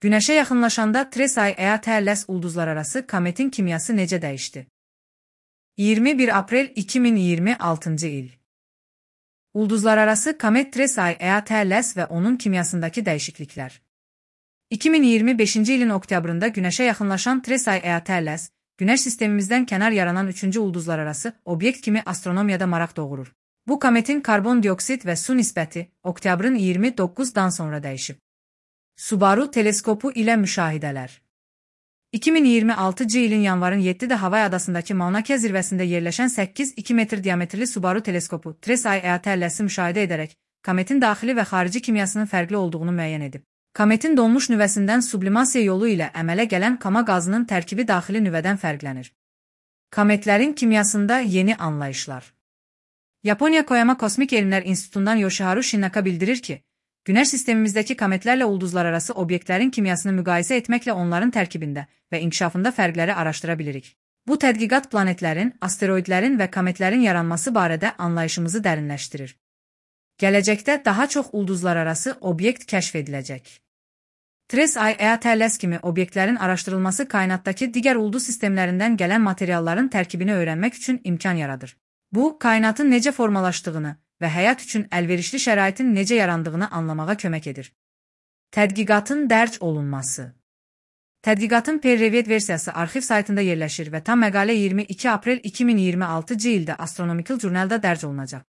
Günəşə yaxınlaşanda Trace EA-TLS ulduzlararası kometin kimyası necə dəyişdi? 21 aprel 2026 il. Ulduzlararası komet Trace EA-TLS və onun kimyasındakı dəyişikliklər. 2025 ilin oktyabrında Günəşə yaxınlaşan Trace EA-TLS, Günəş sistemimizdən kənar yaranan 3-cü ulduzlararası obyekt kimi astronomiyada maraq doğurur. Bu kometin karbon dioksid və su nisbəti oktyabrın 29-dan sonra dəyişib. Subaru teleskopu ilə müşahidələr. 2026 ilin yanvarın 7-də Havay adasındakı Mauna Kea zirvəsində yerləşən 8,2 metr diametrli Subaru teleskopu Trace EA-TLS-i müşahidə edərək kometin daxili və xarici kimyasının fərqli olduğunu müəyyən edib. Kometin donmuş nüvəsindən sublimasiya yolu ilə əmələ gələn kama qazının tərkibi daxili nüvədən fərqlənir. Kometlərin kimyasında yeni anlayışlar. Yaponiya Koyama Kosmik Elmlər İnstitutundan Yoshiharu Shinaka bildirir ki, Günəş sistemimizdəki kometlərlə ulduzlararası obyektlərin kimyasını müqayisə etməklə onların tərkibində və inkişafında fərqləri araşdıra bilirik. Bu tədqiqat planetlərin, asteroidlərin və kometlərin yaranması barədə anlayışımızı dərinləşdirir. Gələcəkdə daha çox ulduzlararası obyekt kəşf ediləcək. Trace EA-TLS kimi obyektlərin araşdırılması kainatdakı digər ulduz sistemlərindən gələn materialların tərkibini öyrənmək üçün imkan yaradır. Bu, kainatın necə formalaşdığını və həyat üçün əlverişli şəraitin necə yarandığını anlamağa kömək edir. Tədqiqatın dərc olunması. Tədqiqatın peer-reviewed versiyası arxiv saytında yerləşir və tam məqalə 22 aprel 2026 ildə Astronomical Journal-da dərc olunacaq.